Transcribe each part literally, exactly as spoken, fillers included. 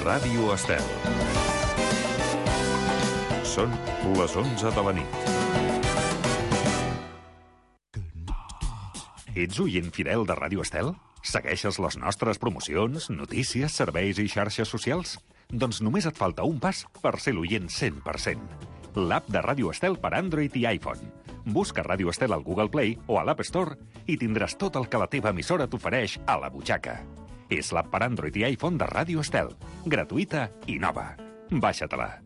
Ràdio Estel. Són les onze de la nit. Ets oient fidel de Ràdio Estel? Segueixes les nostres promocions, notícies, serveis i xarxes socials? Doncs només et falta un pas per ser l'oient cent per cent. L'app de Ràdio Estel per Android i iPhone. Busca Ràdio Estel al Google Play o a l'App Store i tindràs tot el que la teva emissora t'ofereix a la butxaca. És l'app per Android i iPhone de Ràdio Estel. Gratuïta i nova. Baixa-te-la.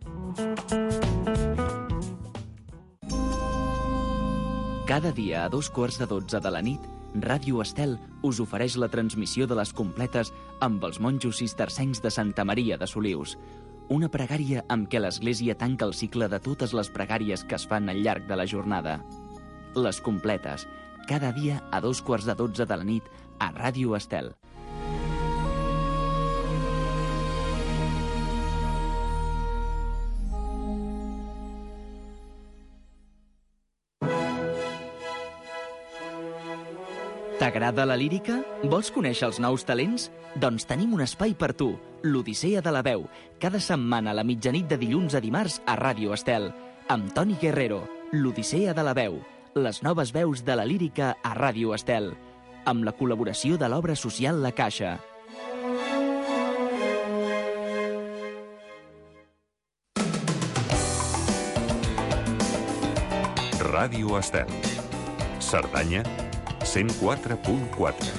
Cada dia a dos quarts de dotze de la nit, Ràdio Estel us ofereix la transmissió de les completes amb els monjos cistercencs de Santa Maria de Solius. Una pregària amb què l'Església tanca el cicle de totes les pregàries que es fan al llarg de la jornada. Les completes, cada dia a dos quarts de dotze de la nit a Ràdio Estel. T'agrada la lírica? Vols conèixer els nous talents? Doncs tenim un espai per tu, l'Odissea de la Veu, cada setmana a la mitjanit de dilluns a dimarts a Ràdio Estel, amb Toni Guerrero, l'Odissea de la Veu, les noves veus de la lírica a Ràdio Estel, amb la col·laboració de l'obra social La Caixa. Ràdio Estel. Cerdanya, cent quatre punt quatre.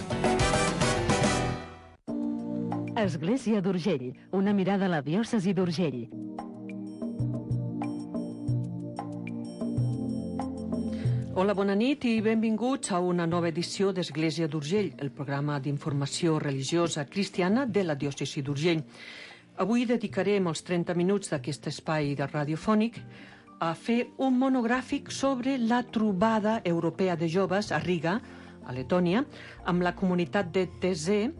Església d'Urgell, una mirada a la diòcesi d'Urgell. Hola, bona nit i benvinguts a una nova edició d'Església d'Urgell, el programa d'informació religiosa cristiana de la diòcesi d'Urgell. Avui dedicarem els trenta minuts d'aquest espai de radiofònic a fer un monogràfic sobre la trobada europea de joves a Riga, a Letònia, amb la comunitat de Taizé,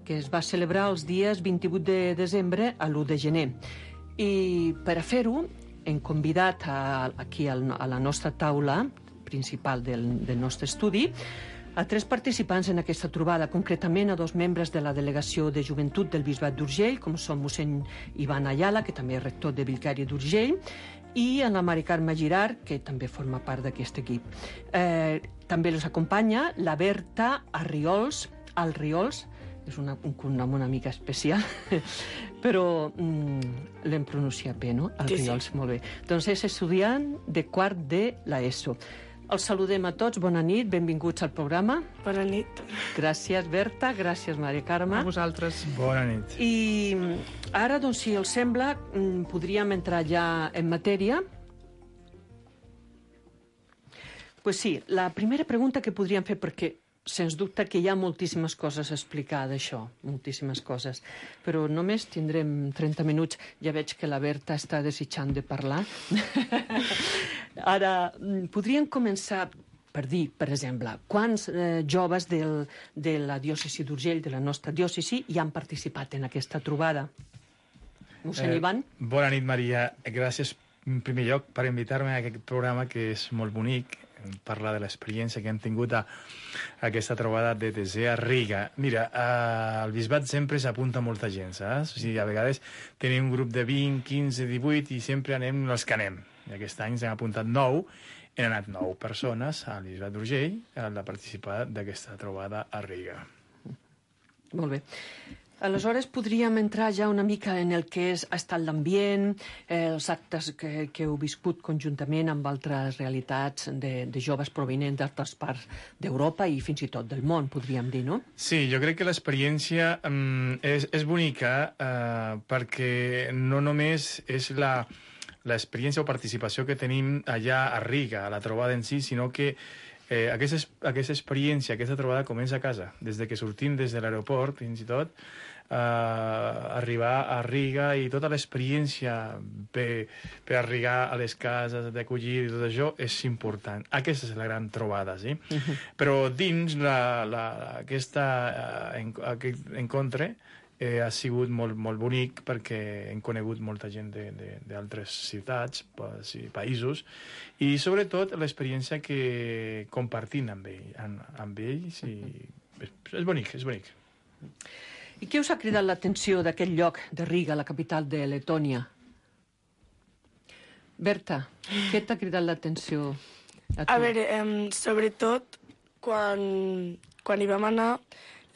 que es va celebrar els dies vint-i-vuit de desembre a l'u de gener. I per a fer-ho hem convidat a, aquí a la nostra taula principal del, del nostre estudi a tres participants en aquesta trobada, concretament a dos membres de la delegació de joventut del Bisbat d'Urgell, com són mossèn Ivan Ayala, que també és rector de Vicària d'Urgell, i en la Mari Carme Girard, que també forma part d'aquest equip. Eh, també els acompanya la Berta Arriols, Alriols, és una, un cognom una mica especial, però mm, l'hem pronunciat bé, no? Alriols, sí, sí. Molt bé. Doncs és estudiant de quart de l'ESO. Els saludem a tots, bona nit, benvinguts al programa. Bona nit. Gràcies, Berta, gràcies, Mari Carme. A vosaltres. Bona nit. I ara, doncs, si els sembla, podríem entrar ja en matèria. Pues sí, la primera pregunta que podríem fer, perquè sens dubte que hi ha moltíssimes coses a explicar d'això, moltíssimes coses, però només tindrem trenta minuts. Ja veig que la Berta està desitjant de parlar. Ara, podríem començar per dir, per exemple, quants eh, joves del, de la diòcesi d'Urgell, de la nostra diòcesi, hi han participat en aquesta trobada? Mossèn eh, Ivan? Bona nit, Maria. Gràcies, en primer lloc, per invitar-me a aquest programa, que és molt bonic, parlar de l'experiència que hem tingut a, a aquesta trobada de Taizé a Riga. Mira, eh, al bisbat sempre s'apunta molta gent, saps? O sigui, a vegades tenim un grup de vint, quinze, divuit i sempre anem els que anem. I aquest any s'han apuntat nou, han anat nou persones al bisbat d'Urgell a participar d'aquesta trobada a Riga. Molt bé. Aleshores, podríem entrar ja una mica en el que és, ha estat l'ambient, eh, els actes que, que heu viscut conjuntament amb altres realitats de, de joves provenents d'altres parts d'Europa i fins i tot del món, podríem dir, no? Sí, jo crec que l'experiència um, és, és bonica uh, perquè no només és la l'experiència o participació que tenim allà a Riga, a la trobada en si, sinó que eh, aquesta, aquesta experiència, aquesta trobada comença a casa, des de que sortim des de l'aeroport, fins i tot, eh, arribar a Riga i tota l'experiència per, per arribar a les cases, d'acollir i tot això és important. Aquesta és la gran trobada, sí? Uh-huh. Però dins la, la, aquesta, eh, en, aquest encontre eh, ha sigut molt, molt bonic perquè hem conegut molta gent d'altres ciutats, països, i sobretot l'experiència que compartim amb, ell, amb, amb ells, i és, és bonic, és bonic. I què us ha cridat l'atenció d'aquest lloc de Riga, la capital de Letònia? Berta, què t'ha cridat l'atenció a tu? A veure, eh, sobretot quan, quan hi vam anar,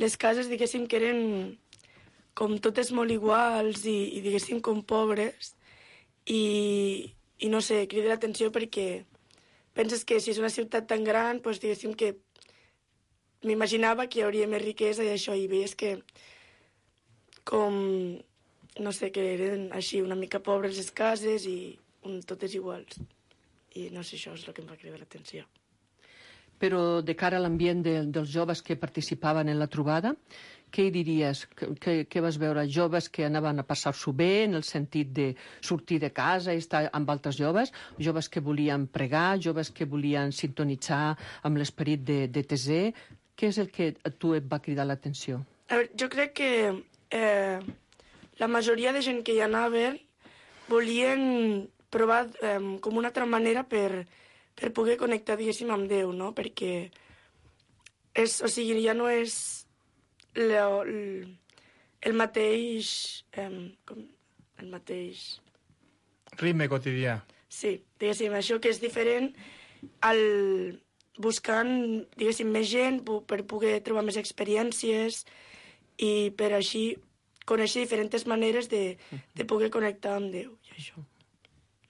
les cases, diguéssim, que eren com totes molt iguals i, i diguéssim, com pobres. I, i no sé, crida l'atenció perquè penses que si és una ciutat tan gran, doncs diguéssim que m'imaginava que hi hauria més riquesa i això, i veies que com, no sé, que eren així una mica pobres les cases i un, totes iguals. I no sé, això és el que em va cridar l'atenció. Però de cara a l'ambient de, dels joves que participaven en la trobada, què hi diries? Què vas veure? Joves que anaven a passar-s'ho bé en el sentit de sortir de casa i estar amb altres joves? Joves que volien pregar? Joves que volien sintonitzar amb l'esperit de, de Tesé? Què és el que a tu et va cridar l'atenció? A veure, jo crec que eh, la majoria de gent que hi anaven volien provar eh, com una altra manera per, per poder connectar, diguéssim, amb Déu, no? Perquè és, o sigui, ja no és le, el, el mateix... Eh, com, el mateix... Ritme quotidià. Sí, diguéssim, això que és diferent al buscant, diguéssim, més gent per poder trobar més experiències i per així conèixer diferents maneres de, de poder connectar amb Déu i això.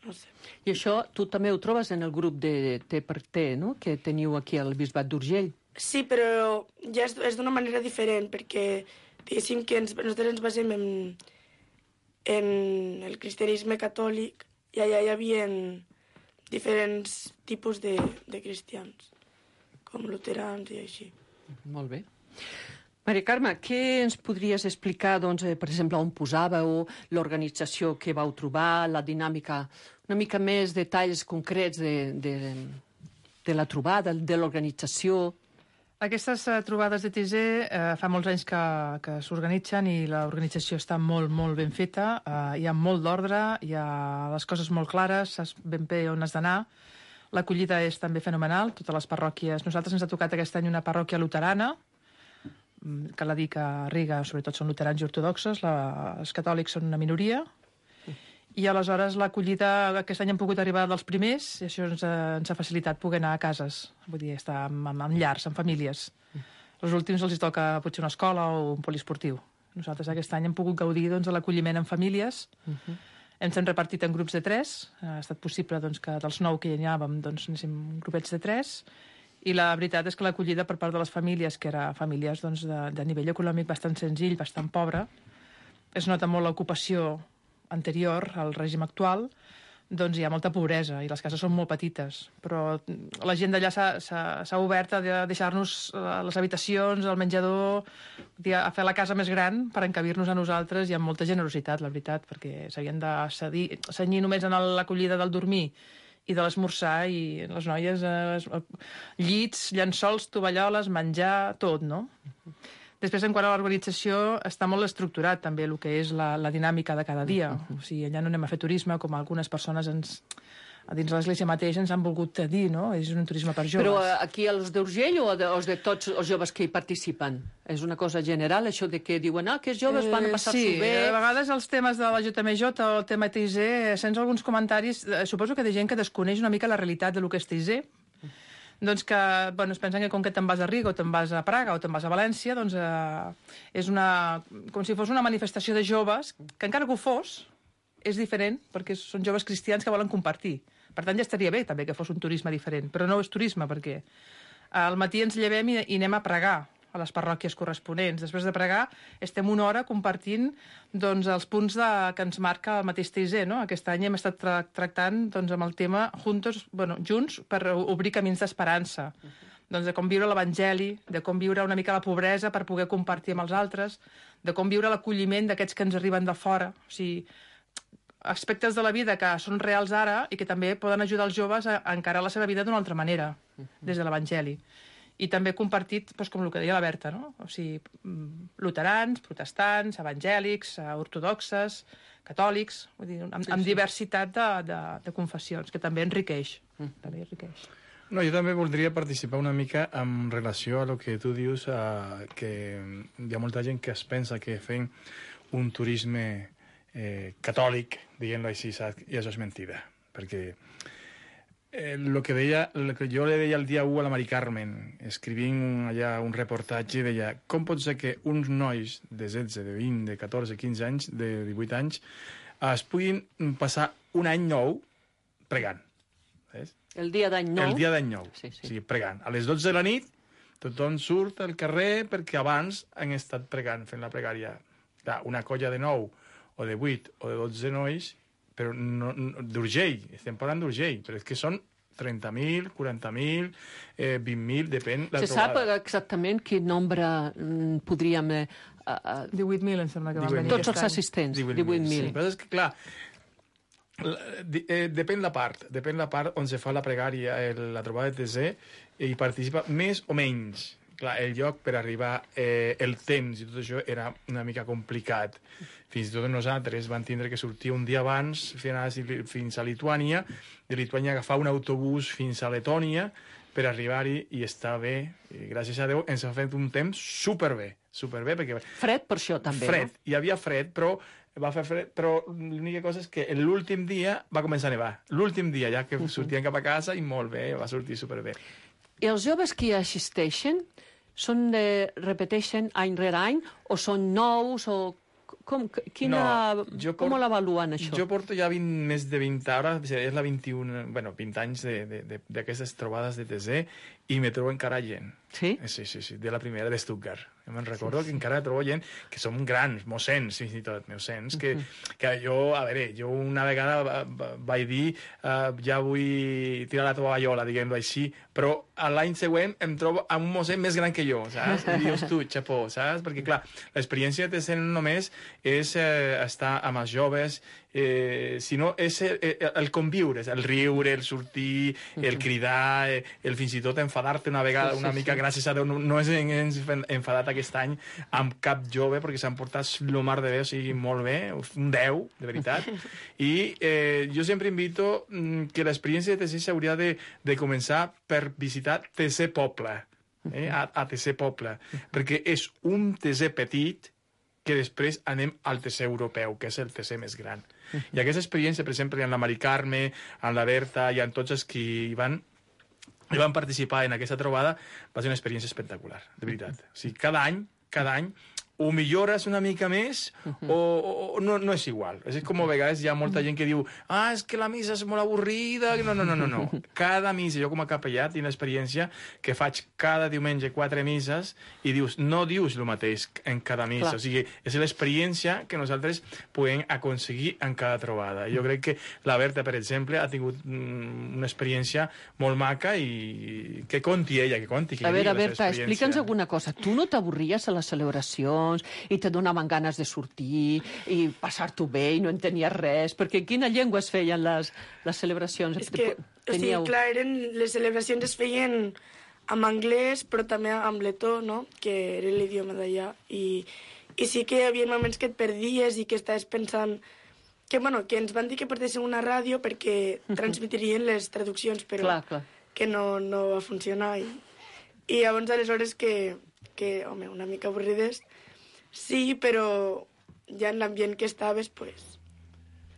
No sé. I això tu també ho trobes en el grup de T per T, no?, que teniu aquí al Bisbat d'Urgell. Sí, però ja és, és d'una manera diferent, perquè diguéssim que ens, nosaltres ens basem en, en el cristianisme catòlic i allà hi havia diferents tipus de, de cristians, com luterans i així. Molt bé. Maria Carme, què ens podries explicar, doncs, eh, per exemple, on posàveu, l'organització que vau trobar, la dinàmica, una mica més detalls concrets de, de, de la trobada, de l'organització? Aquestes uh, trobades de T Z uh, fa molts anys que, que s'organitzen i l'organització està molt, molt ben feta. Uh, hi ha molt d'ordre, hi ha les coses molt clares, saps ben bé on has d'anar. L'acollida és també fenomenal, totes les parròquies. Nosaltres ens ha tocat aquest any una parròquia luterana, que la dic a Riga, sobretot són luterans i ortodoxos, la, els catòlics són una minoria, i aleshores l'acollida, aquest any hem pogut arribar dels primers, i això ens ha, ens ha facilitat poder anar a cases, vull dir, estar en, en, en llars, en famílies. Els últims els toca potser una escola o un poliesportiu. Nosaltres aquest any hem pogut gaudir doncs, de l'acolliment en famílies, uh-huh. Ens hem repartit en grups de tres, ha estat possible doncs, que dels nou que hi anàvem doncs, anéssim grupets de tres, i la veritat és que l'acollida per part de les famílies, que eren famílies doncs, de, de nivell econòmic bastant senzill, bastant pobre, es nota molt l'ocupació anterior al règim actual, doncs hi ha molta pobresa i les cases són molt petites. Però la gent d'allà s'ha obert a deixar-nos les habitacions, el menjador, a fer la casa més gran per encabir-nos a nosaltres i amb molta generositat, la veritat, perquè s'havien de cedir, cenyir només en l'acollida del dormir i de l'esmorzar, i les noies, eh, llits, llençols, tovalloles, menjar, tot, no? Després, en quant a l'organització, està molt estructurat també el que és la, la dinàmica de cada dia. O sigui, allà no anem a fer turisme, com algunes persones ens, dins l'església mateix ens han volgut dir, no? És un turisme per joves. Però aquí els d'Urgell o de, els de tots els joves que hi participen? És una cosa general, això de que diuen ah, que els joves van a passar-s'ho eh, sí, bé? Sí, a vegades els temes de la J M J o el tema T Z, sents alguns comentaris, eh, suposo que de gent que desconeix una mica la realitat de lo que és T Z, doncs que, bueno, es pensen que com que te'n vas a Riga o te'n vas a Praga o te'n vas a València, doncs eh, és una, com si fos una manifestació de joves, que encara que ho fos, és diferent, perquè són joves cristians que volen compartir. Per tant, ja estaria bé també que fos un turisme diferent, però no és turisme, perquè al matí ens llevem i, i anem a pregar a les parròquies corresponents. Després de pregar estem una hora compartint doncs, els punts de, que ens marca el mateix T Z, no? Aquest any hem estat tra tractant doncs, amb el tema juntos, bueno, junts per obrir camins d'esperança, uh -huh. doncs, de com viure l'Evangeli, de com viure una mica la pobresa per poder compartir amb els altres, de com viure l'acolliment d'aquests que ens arriben de fora. O sigui, aspectes de la vida que són reals ara i que també poden ajudar els joves a, a encarar la seva vida d'una altra manera, des de l'Evangeli. I també compartit, doncs, com el que deia la Berta, no? O sigui, luterans, protestants, evangèlics, ortodoxes, catòlics, vull dir, amb, amb diversitat de, de, de confessions, que també enriqueix. Mm. També enriqueix. No, jo també voldria participar una mica en relació a lo que tu dius, eh, que hi ha molta gent que es pensa que fent un turisme eh, catòlic, diguem-ho així, saps? I això és mentida, perquè eh, lo que deia, lo que jo le deia el dia u a la Mari Carmen, escrivint un, allà un reportatge, deia, com pot ser que uns nois de setze, de vint, de catorze, quinze anys, de divuit anys, es puguin passar un any nou pregant. Saps? El dia d'any nou. El dia d'any nou, sí, sí. O sigui, pregant. A les dotze de la nit tothom surt al carrer perquè abans han estat pregant, fent la pregària. Clar, una colla de nou, o de vuit, o de dotze nois, però no, no, d'Urgell, estem parlant d'Urgell, però és que són trenta mil, quaranta mil, eh, vint mil, depèn la Se trobada. sap exactament quin nombre mm, podríem... Eh, uh, divuit mil em sembla que van venir tots aquest els any. assistents, divuit mil. divuit mil. Sí, però és que, clar, la- di- eh, depèn la part, depèn la part on se fa la pregària, el, la trobada de Tesé, i hi participa més o menys. Clar, el lloc per arribar, eh, el temps i tot això era una mica complicat. Fins i tot nosaltres vam tindre que sortir un dia abans fins a, fins a Lituània, de Lituània agafar un autobús fins a Letònia per arribar-hi i estar bé. I gràcies a Déu ens ha fet un temps superbé, superbé, perquè Fred per això també, fred, no? hi havia fred, però va fer fred, però l'única cosa és que l'últim dia va començar a nevar. L'últim dia, ja que sortien cap a casa, i molt bé, va sortir superbé. I els joves que hi assisteixen són de, repeteixen any rere any o són nous o com, quina, No, jo com port- l'avaluen això? Jo porto ja vint, més de vint, ara és la vint-i-un, bueno, vint anys de- de- de- d'aquestes trobades de Tesé i me trobo encara gent. Sí? Sí, sí, sí, de la primera de Stuttgart. Jo me'n recordo que encara trobo gent que som grans, mossens, fins i tot, mossens, que, que jo, a veure, jo una vegada va- va- vaig dir uh, ja vull tirar la tovallola, diguem-ho així, però a l'any següent em trobo amb un mossèn més gran que jo, saps? I dius tu, xapó, saps? Perquè, clar, l'experiència de ser només és eh, estar amb els joves, eh, sinó és el, el conviure, el riure, el sortir, el cridar, eh, el fins i tot enfadar-te una vegada, Sí, sí, una mica, sí. gràcies a Déu, no, no és ens enfadat aquest any amb cap jove, perquè s'han portat lo mar de bé, o sigui, molt bé, un deu, de veritat. I eh, jo sempre invito mm, que l'experiència de Tesé s'hauria de, de començar per visitar Tesé Poble, eh, a, a Tesé Poble, perquè és un Tesé petit que després anem al Tesé europeu, que és el Tesé més gran. I aquesta experiència, per exemple, en la Mari Carme, en la Berta i en tots els que hi van, hi van participar en aquesta trobada, va ser una experiència espectacular, de veritat. O sigui, cada any, cada any, o millores una mica més o, o, o no, no és igual. És com a vegades hi ha molta gent que diu ah, és que la missa és molt avorrida. No, no, no, no, no. Cada missa, jo com a capellà tinc l'experiència que faig cada diumenge quatre misses i dius, no dius el mateix en cada missa. Clar. O sigui, és l'experiència que nosaltres podem aconseguir en cada trobada. Jo crec que la Berta, per exemple, ha tingut mm, una experiència molt maca i que conti ella, que conti. Que A veure, digui la seva Berta, experiència. explica'ns alguna cosa. Tu no t'avorries a les celebracions i te donaven ganes de sortir i passar-t'ho bé i no entenies res? Perquè en quina llengua es feien les, les celebracions? És que, o sigui, clar, eren, les celebracions es feien en anglès, però també en letó, no?, que era l'idioma d'allà. I, I sí que hi havia moments que et perdies i que estaves pensant que, bueno, que ens van dir que portéssim una ràdio perquè transmetrien les traduccions, però Clar, clar. que no, no va funcionar. I, i llavors, aleshores, que, que, home, una mica avorrides, sí, però ja en l'ambient que estaves, pues,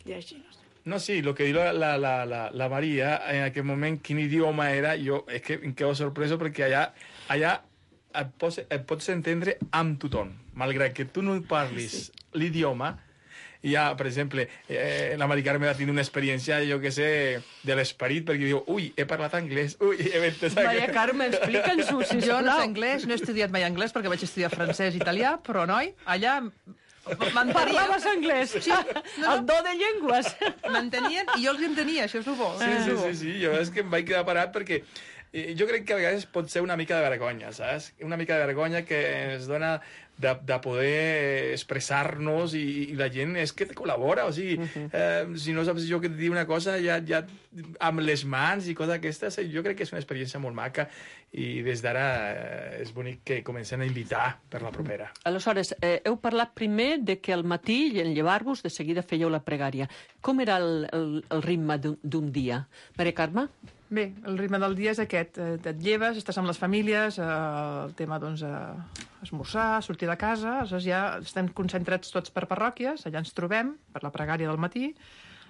ja així, no sé. No, sí, lo que diu la, la, la, la, la Maria, en aquell moment, quin idioma era, jo és que em quedo sorpreso perquè allà, allà et pots, et pots entendre amb tothom, malgrat que tu no parlis sí. l'idioma. Ja, per exemple, eh, la Mari Carme va tenir una experiència, jo que sé, de l'esperit, perquè diu, ui, he parlat anglès, ui, he entès... Maria Carme, explica'ns-ho, Jo no sé sisplau. anglès, no he estudiat mai anglès perquè vaig estudiar francès i italià, però, noi, allà m'entenien. Parlaves anglès? Sí, no, no. El do de llengües. M'entenien i jo els entenia, això és el bo. Sí, sí, sí, sí, jo és que em vaig quedar parat perquè eh, jo crec que a vegades pot ser una mica de vergonya, saps? Una mica de vergonya que ens dona de, de poder expressar-nos i, i la gent és que te col·labora, o sigui, eh, si no saps jo que et diu una cosa, ja, ja amb les mans i coses aquestes, jo crec que és una experiència molt maca i des d'ara eh, és bonic que comencem a invitar per la propera. Aleshores, eh, heu parlat primer de que al matí, en llevar-vos, de seguida fèieu la pregària. Com era el, el, el ritme d'un d'un dia? Maria Carme? Bé, el ritme del dia és aquest. Et lleves, estàs amb les famílies, eh, el tema, doncs, eh, esmorzar, sortir de casa, aleshores ja estem concentrats tots per parròquies, allà ens trobem per la pregària del matí,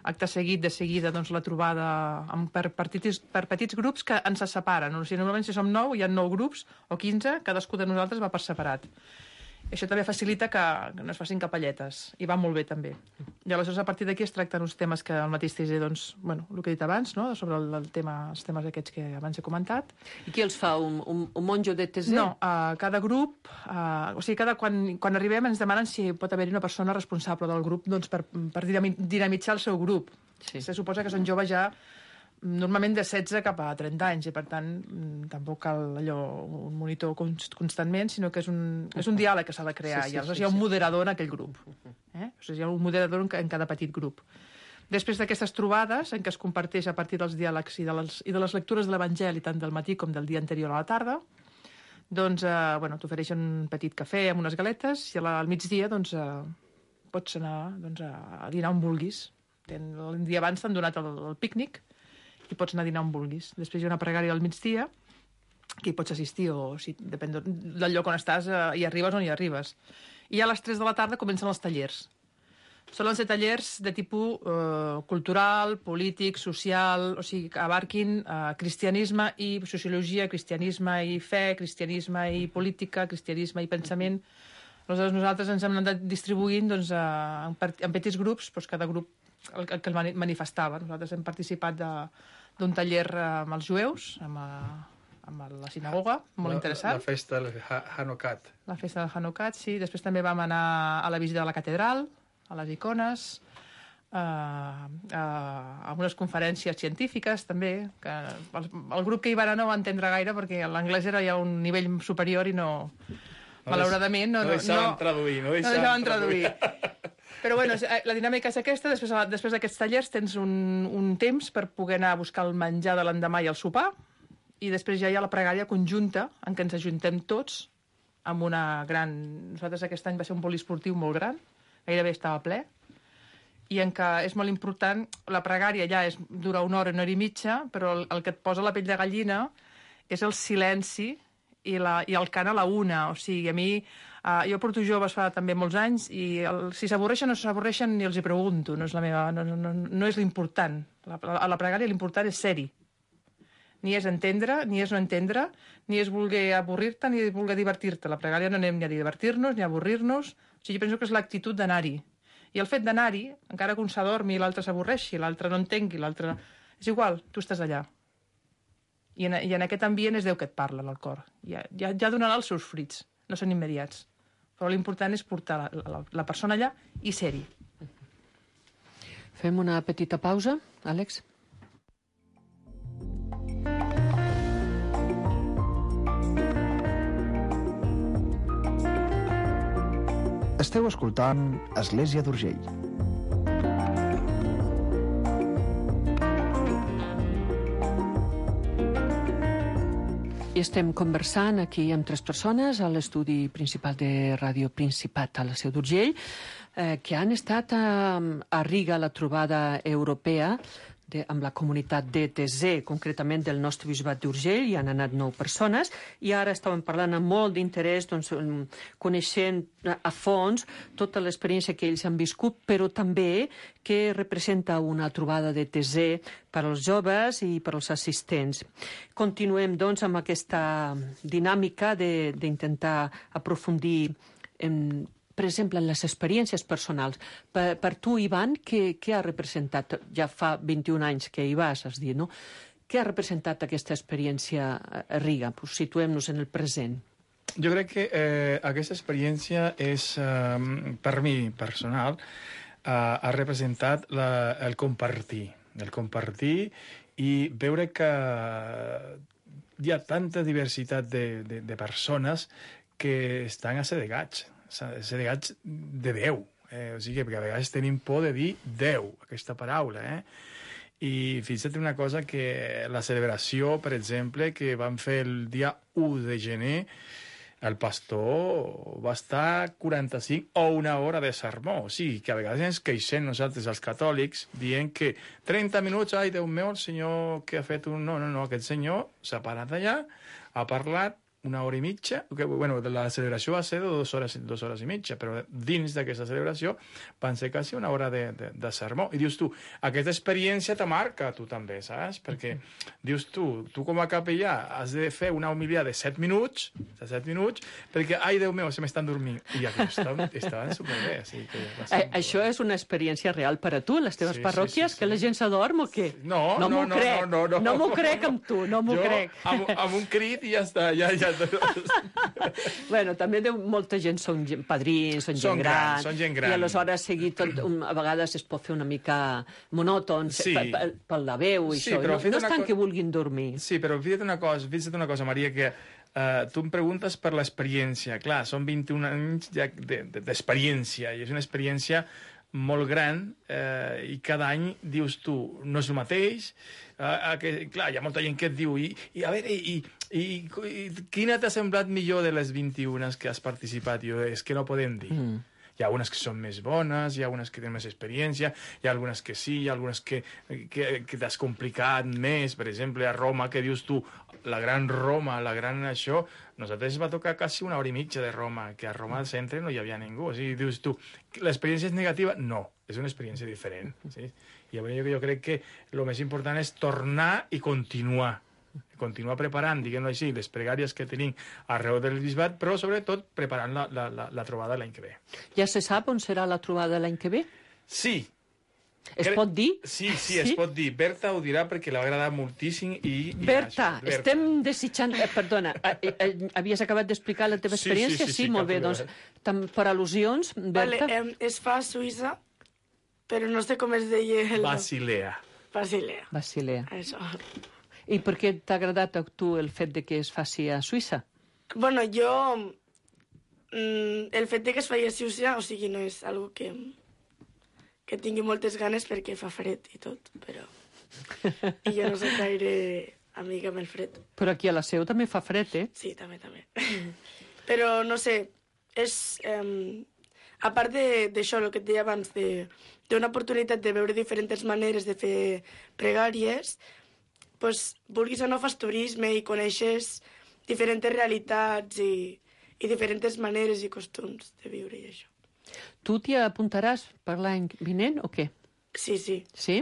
acte seguit, de seguida, doncs, la trobada amb, per, petits, per petits grups que ens separen. O sigui, normalment, si som nou, hi ha nou grups o quinze, cadascú de nosaltres va per separat. Això també facilita que, que no es facin capelletes, i va molt bé, també. I aleshores, a partir d'aquí, es tracten uns temes que el mateix T Z, doncs, bueno, el que he dit abans, no?, sobre el, el tema, els temes aquests que abans he comentat. I qui els fa? Un, un, un monjo de T Z? No, uh, cada grup, uh, o sigui, cada, quan, quan arribem ens demanen si pot haver-hi una persona responsable del grup, doncs, per, per dinamitzar el seu grup. Sí. Se suposa que són joves ja normalment de setze cap a trenta anys, i per tant tampoc cal allò, un monitor constantment, sinó que és un, és un diàleg que s'ha de crear, sí, sí, i aleshores sí, hi ha un moderador en aquell grup. Eh? O sigui, hi ha un moderador en cada petit grup. Després d'aquestes trobades, en què es comparteix a partir dels diàlegs i de les, i de les lectures de l'Evangeli, tant del matí com del dia anterior a la tarda, doncs, eh, bueno, t'ofereixen un petit cafè amb unes galetes, i al migdia, doncs, eh, pots anar, doncs, a dinar on vulguis. El dia abans t'han donat el, el pícnic, i pots anar a dinar on vulguis. Després hi ha una pregària al migdia, que hi pots assistir, o si depèn del lloc on estàs, eh, hi arribes o no hi arribes. I a les tres de la tarda comencen els tallers. Solen ser tallers de tipus eh, cultural, polític, social, o sigui, que abarquin eh, cristianisme i sociologia, cristianisme i fe, cristianisme i política, cristianisme i pensament. Aleshores, nosaltres ens hem anat distribuint, doncs, eh, en, en petits grups, doncs cada grup el, el que el manifestava. Nosaltres hem participat de, d'un taller amb els jueus, amb, a, amb la sinagoga, molt la, interessant. La festa del Hanukkah. La festa del Hanukkah, sí. Després també vam anar a la visita de la catedral, a les icones, a, a, a unes conferències científiques, també, que el, el grup que hi va anar no va entendre gaire, perquè l'anglès era ja un nivell superior i no... no malauradament... No, no, no deixaven no, traduir, no deixaven, no deixaven traduir. traduir. Però bueno, la dinàmica és aquesta. Després, després d'aquests tallers tens un, un temps per poder anar a buscar el menjar de l'endemà i el sopar, i després ja hi ha la pregària conjunta, en què ens ajuntem tots amb una gran... Nosaltres aquest any va ser un poliesportiu molt gran, gairebé estava ple, i en què és molt important, la pregària ja és, dura una hora, una hora i mitja, però el, el que et posa la pell de gallina és el silenci i, la, i el cant a la una. O sigui, a mi... Uh, jo porto joves fa també molts anys, i el, si s'avorreixen o no s'avorreixen ni els hi pregunto, no és, la meva, no, no, no és l'important. La, a la pregària l'important és ser-hi. Ni és entendre, ni és no entendre, ni és voler avorrir-te, ni és voler divertir-te. La pregària no anem ni a divertir-nos, ni a avorrir-nos. O sigui, jo penso que és l'actitud d'anar-hi. I el fet d'anar-hi, encara que un s'adormi i l'altre s'avorreixi, l'altre no entengui, l'altre... És igual, tu estàs allà. I en, i en aquest ambient és Déu que et parla, en el cor. Ja, ja, ja donarà els seus fruits, no són immediats. Però l'important és portar la, la, la persona allà i ser-hi. Fem una petita pausa, Àlex? Esteu escoltant Església d'Urgell. I estem conversant aquí amb tres persones a l'estudi principal de Ràdio Principat a la Seu d'Urgell, eh, que han estat a, a Riga a la trobada europea de, amb la comunitat D T Z, concretament del nostre bisbat d'Urgell. Hi han anat nou persones i ara estàvem parlant amb molt d'interès, doncs, coneixent a fons tota l'experiència que ells han viscut, però també que representa una trobada de T Z per als joves i per als assistents. Continuem, doncs, amb aquesta dinàmica d'intentar aprofundir en, per exemple, en les experiències personals. Per, per tu, Ivan, què, què ha representat? Ja fa vint-i-un anys que hi vas, has dit, no? Què ha representat aquesta experiència a Riga? Pues situem-nos en el present. Jo crec que eh, aquesta experiència és, eh, per mi personal, eh, ha representat la, el compartir, el compartir i veure que hi ha tanta diversitat de, de, de persones que estan assedegats, assedegats de Déu. Eh, o sigui, perquè a vegades tenim por de dir Déu, aquesta paraula, eh? I fixa't una cosa, que la celebració, per exemple, que vam fer el dia u de gener, el pastor va estar quaranta-cinc o una hora de sermó. O sigui, que a vegades ens queixem nosaltres, els catòlics, dient que trenta minuts, ai, Déu meu, el senyor que ha fet un... No, no, no, aquest senyor s'ha parat allà, ha parlat una hora i mitja, que, bueno, la celebració va ser de dues hores, dues hores i mitja, però dins d'aquesta celebració van ser quasi una hora de, de, de sermó. I dius tu, aquesta experiència te marca tu també, saps? Perquè dius tu, tu com a capellà has de fer una homilia de set minuts, de set minuts, perquè, ai, Déu meu, se m'estan dormint. I aquests estaven, estaven superbé. Així que eh, això és una experiència real per a tu, les teves sí, parròquies, sí, sí, sí. que la gent s'adorm o què? No, no no, m'ho no, crec. no, no, no. No m'ho crec amb tu, no m'ho crec. Amb, amb un crit i ja està, ja, ja. Bueno, també de, molta gent són gent, padrins, són, Són gent gran, grans, són gent gran. I aleshores seguir tot, un, a vegades es pot fer una mica monòton Sí. per, per, per la veu i Sí, això. però No, fes no és una tant co- que vulguin dormir. Sí, però fixa't una cosa, fixa't una cosa, Maria, que uh, tu em preguntes per l'experiència. Clar, són vint-i-un anys ja de- de- d'experiència, i és una experiència molt gran, eh, i cada any dius tu, no és el mateix, eh, que, clar, hi ha molta gent que et diu, i, i a veure, i, i, i quina t'ha semblat millor de les vint-i-una que has participat? Jo, és que no podem dir. Mm. Hi ha unes que són més bones, hi ha unes que tenen més experiència, hi ha algunes que sí, hi ha algunes que, que, que t'has complicat més. Per exemple, a Roma, que dius tu, la gran Roma, la gran això, nosaltres va tocar quasi una hora i mitja de Roma, que a Roma al centre no hi havia ningú. O sigui, dius tu, l'experiència és negativa? No, és una experiència diferent. Sí? I jo, jo crec que el més important és tornar i continuar. Continuar preparant, diguem-ho així, les pregàries que tenim arreu del bisbat, però sobretot preparant la, la, la, la trobada l'any que ve. Ja se sap on serà la trobada l'any que ve? Sí. Es Cre- pot dir? Sí, sí, sí, es pot dir. Berta ho dirà perquè l'ha agradat moltíssim i... i Berta, això, Berta. estem desitjant... Eh, perdona, eh, eh, havies acabat d'explicar la teva Sí, experiència? sí, sí, sí, molt cap bé, doncs, problema. tam, per al·lusions, Vale, Berta... eh, es fa a Suïssa, però no sé com es deia el... Basilea. Basilea. Basilea. Això. I per què t'ha agradat a tu el fet de que es faci a Suïssa? Bueno, jo... Mm, el fet de que es faci a Suïssa, o sigui, no és algo que, que tingui moltes ganes perquè fa fred i tot, però... I jo no soc gaire amiga amb el fred. Però aquí a la Seu també fa fred, eh? Sí, també, també. Però, no sé, és... Eh, a part de- d'això, el que et deia abans, de- d'una oportunitat de veure diferents maneres de fer pregàries, pues, vulguis o no fas turisme i coneixes diferents realitats i, i diferents maneres i costums de viure i això. Tu t'hi apuntaràs per l'any vinent o què? Sí, sí. Sí?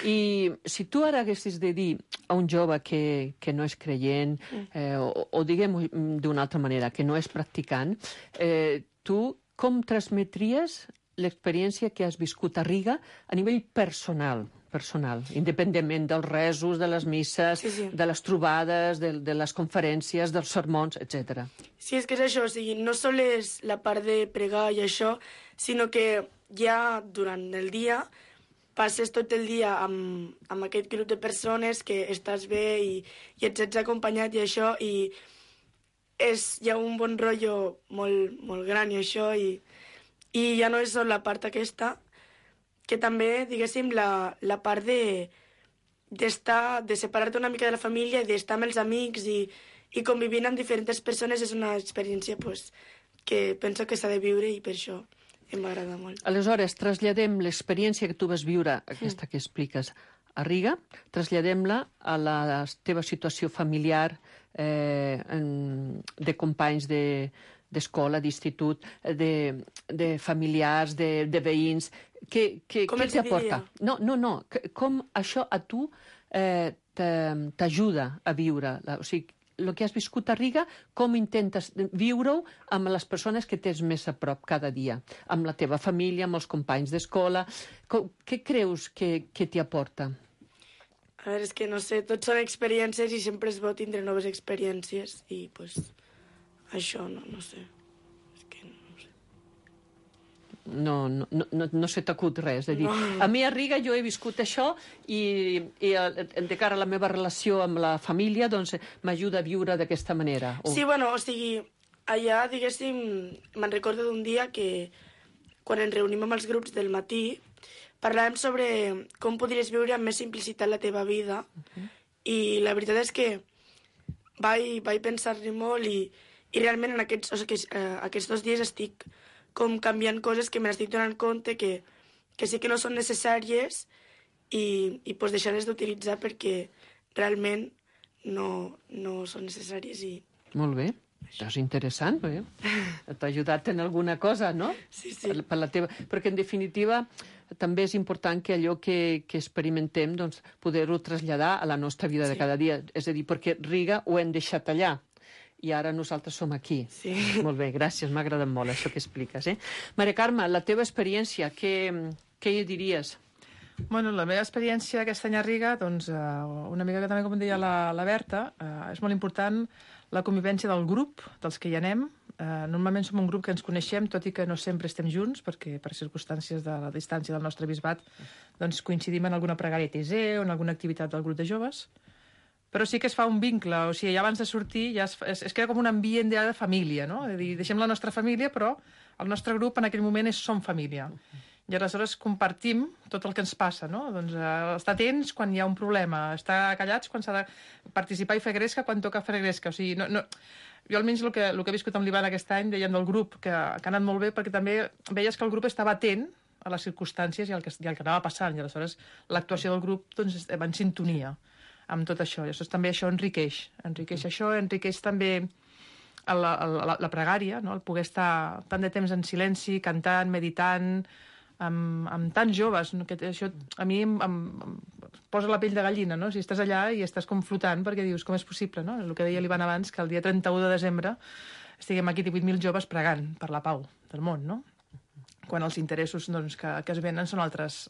I si tu ara haguessis de dir a un jove que, que no és creient, eh, o, o diguem-ho d'una altra manera, que no és practicant, eh, tu com transmetries l'experiència que has viscut a Riga a nivell personal, personal, independentment dels resos, de les misses, Sí, sí. de les trobades, de, de les conferències, dels sermons, etcètera. Sí, és que és això, o sigui, no sols la part de pregar i això, sinó que ja durant el dia passes tot el dia amb, amb aquest grup de persones que estàs bé i, i et sents acompanyat i això, i és, hi ha un bon rotllo molt, molt gran i això, i, i ja no és sol la part aquesta, que també, diguéssim, la, la part de d'estar, de separar-te una mica de la família i d'estar amb els amics i, i convivint amb diferents persones és una experiència pues, que penso que s'ha de viure i per això em m'agrada molt. Aleshores, traslladem l'experiència que tu vas viure, aquesta que expliques, a Riga, traslladem-la a la teva situació familiar, eh, en, de companys de, d'escola, d'institut, de, de familiars, de, de veïns. Què, què, Com què els hi t'aporta? diria? No, no, no. Que- Com això a tu eh, te- t'ajuda a viure? La, o sigui, el que has viscut a Riga, com intentes viure-ho amb les persones que tens més a prop cada dia? Amb la teva família, amb els companys d'escola? Com- Què creus que, que t'hi aporta? A veure, és que no sé, tot són experiències i sempre és bo tindre noves experiències i pues, això, no, no sé. És que no sé. No, no, no, no, no se t'acut res. De dir. No. A mi a Riga jo he viscut això i, i eh, de cara a la meva relació amb la família doncs m'ajuda a viure d'aquesta manera. O... Sí, bueno, o sigui, allà, diguéssim, me'n recordo d'un dia que quan ens reunim amb els grups del matí parlàvem sobre com podries viure amb més simplicitat la teva vida uh -huh. i la veritat és que vaig, vaig pensar-hi molt i, i realment en aquests, o sigui, eh, aquests dos dies estic com canviant coses que me n'estic donant compte que, que sí que no són necessàries i, i pues, deixar-les d'utilitzar perquè realment no, no són necessàries i... Molt bé. Això és interessant, eh? T'ha ajudat en alguna cosa, no? Sí, sí. Per, per la teva... Perquè, en definitiva, també és important que allò que, que experimentem doncs, poder-ho traslladar a la nostra vida sí. de cada dia. És a dir, perquè Riga ho hem deixat allà i ara nosaltres som aquí. Sí. Molt bé, gràcies, m'ha agradat molt això que expliques. Eh? Maria Carme, la teva experiència, què, què hi diries? Bueno, la meva experiència aquest any a Riga, doncs, una mica que també, com deia la, la Berta, eh, és molt important la convivència del grup, dels que hi anem. Eh, normalment som un grup que ens coneixem, tot i que no sempre estem junts, perquè per circumstàncies de la distància del nostre bisbat doncs, coincidim en alguna pregària T Z o en alguna activitat del grup de joves. Però sí que es fa un vincle, o sigui, ja abans de sortir ja es, es, es crea com un ambient ja de família, no? És a dir, deixem la nostra família, però el nostre grup en aquell moment és som família. I aleshores compartim tot el que ens passa, no? Doncs eh, estar atents quan hi ha un problema, estar callats quan s'ha de participar i fer gresca quan toca fer gresca. O sigui, no, no... Jo almenys el que, el que he viscut amb l'Ivan aquest any, deien del grup, que, que ha anat molt bé, perquè també veies que el grup estava atent a les circumstàncies i al que, i al que anava passant, i aleshores l'actuació del grup doncs, va en sintonia amb tot això. I aleshores també això enriqueix. Enriqueix això, enriqueix també la, la, la pregària, no? El poder estar tant de temps en silenci, cantant, meditant, amb, amb tants joves, no? Que això a mi em, em, em posa la pell de gallina, no? Si estàs allà i estàs com flotant, perquè dius, com és possible, no? El que deia l'Ivan abans, que el dia trenta-u de desembre estiguem aquí divuit mil joves pregant per la pau del món, no? Quan els interessos doncs, que, que es venen són altres,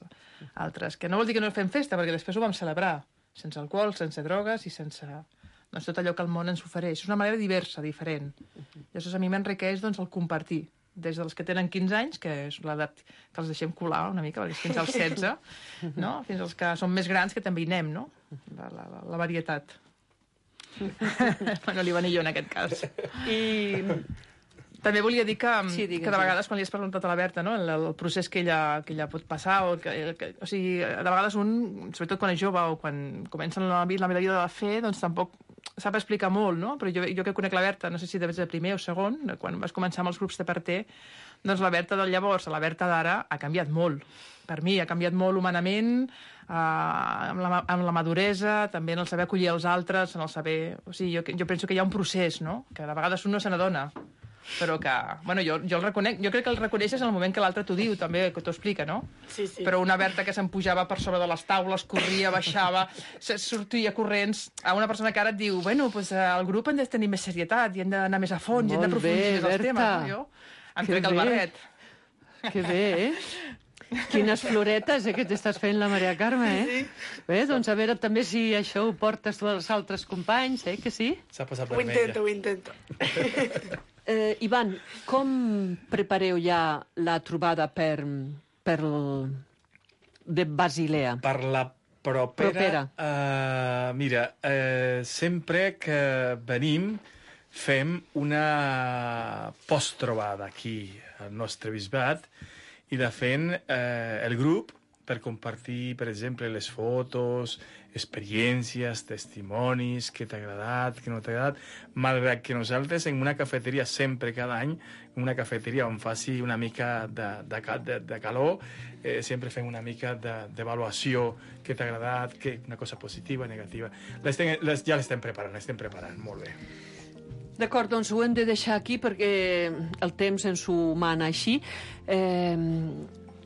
altres, que no vol dir que no fem festa, perquè després ho vam celebrar, sense alcohol, sense drogues i sense doncs, tot allò que el món ens ofereix. És una manera diversa, diferent. I llavors a mi m'enriqueix doncs, el compartir, des dels que tenen quinze anys, que és l'edat que els deixem colar una mica, perquè fins als setze, no? Fins als que són més grans, que també hi anem, no? La, la, la varietat. Bueno, l'Ivan i jo, en aquest cas. I també volia dir que, sí, digues, que de vegades, quan li has preguntat a la Berta, no? el, el procés que ella, que ella pot passar, o, que, que, o sigui, de vegades un, sobretot quan és jove o quan comencen la, la meva vida de fer, doncs tampoc sap explicar molt, no? Però jo, jo que conec la Berta, no sé si de primer o segon, quan vas començar amb els grups de parter, doncs la Berta del llavors a la Berta d'ara ha canviat molt. Per mi ha canviat molt humanament, eh, amb, la, amb la maduresa, també en el saber acollir els altres, en el saber... O sigui, jo, jo penso que hi ha un procés, no? Que de vegades un no se n'adona, però que... Bueno, jo, jo el reconec, jo crec que el reconeixes en el moment que l'altre t'ho diu, també, que t'ho explica, no? Sí, sí. Però una Berta que se'n pujava per sobre de les taules, corria, baixava, sortia corrents, a una persona que ara et diu, bueno, pues, el grup han de tenir més serietat i han d'anar més a fons, i han d'aprofundir més els temes. No? Jo em trec el barret. Que bé, eh? Quines floretes, eh, que t'estàs fent la Maria Carme, eh? Sí. Bé, doncs a veure també si això ho portes tu als altres companys, eh, que sí? S'ha posat Ho intento, ho intento. Eh, Ivan, com prepareu ja la trobada per, per el, de Basilea? Per la propera... propera. Uh, mira, uh, sempre que venim fem una post-trobada aquí al nostre bisbat i de fent uh, el grup per compartir, per exemple, les fotos, experiències, testimonis, què t'ha agradat, què no t'ha agradat, malgrat que nosaltres en una cafeteria sempre, cada any, en una cafeteria on faci una mica de, de, de, de calor, eh, sempre fem una mica d'avaluació, de, què t'ha agradat, què, una cosa positiva, negativa. Les ten, les, ja l'estem preparant, l'estem preparant, molt bé. D'acord, doncs ho hem de deixar aquí perquè el temps ens ho mana així. Eh,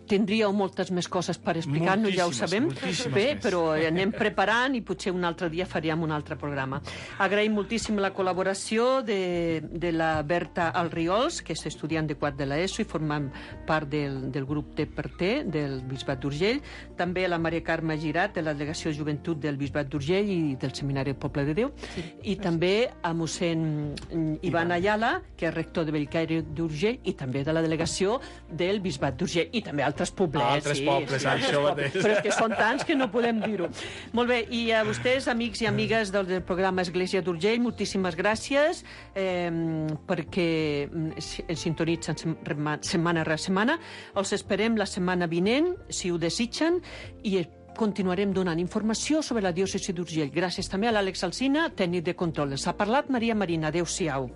tindríeu moltes més coses per explicar-nos, ja ho sabem. Bé, més. Però anem preparant i potser un altre dia faríem un altre programa. Agraïm moltíssim la col·laboració de, de la Berta Alriols, que és estudiant de quart de l'ESO i formant part del, del grup de Parter del Bisbat d'Urgell. També la Maria Carme Girat, de la Delegació de Joventut del Bisbat d'Urgell i del Seminari del Poble de Déu. Sí. I també a mossèn Ivan Ayala, que és rector de Bellcaire d'Urgell, i també de la Delegació del Bisbat d'Urgell. I també altres poblets. Altres sí, pobles, sí, això mateix. Però és que són tants que no podem dir-ho. Molt bé, i a vostès, amics i amigues del, del programa Església d'Urgell, moltíssimes gràcies eh, perquè ens sintonitzen setmana rere setmana. Els esperem la setmana vinent, si ho desitgen, i continuarem donant informació sobre la diòcesi d'Urgell. Gràcies també a l'Àlex Alsina, tècnic de control. Els ha parlat Maria Marina. Adéu-siau.